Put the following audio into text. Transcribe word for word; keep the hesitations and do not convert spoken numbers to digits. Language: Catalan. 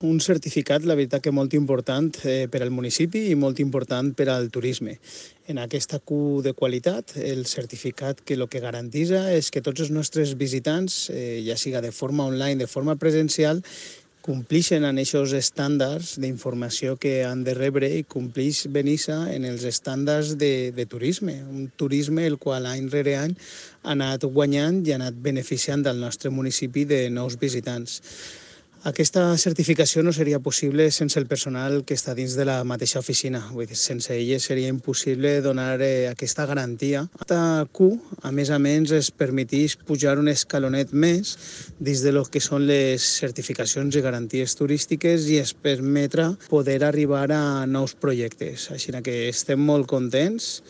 Un certificat, la veritat que molt important eh, per al municipi i molt important per al turisme. En aquesta Q de qualitat, el certificat que el que garantitza és que tots els nostres visitants, eh, ja siga de forma online, de forma presencial, complixen en aquests estàndards d'informació que han de rebre i complix Benissa en els estàndards de, de turisme. Un turisme el qual any rere any ha anat guanyant i ha anat beneficiant del nostre municipi de nous visitants. Aquesta certificació no seria possible sense el personal que està dins de la mateixa oficina. Vull dir, sense elles seria impossible donar eh, aquesta garantia. Aquesta Q, a més a més, es permetís pujar un escalonet més dins de lo que són les certificacions i garanties turístiques i es permetrà poder arribar a nous projectes. Així que estem molt contents.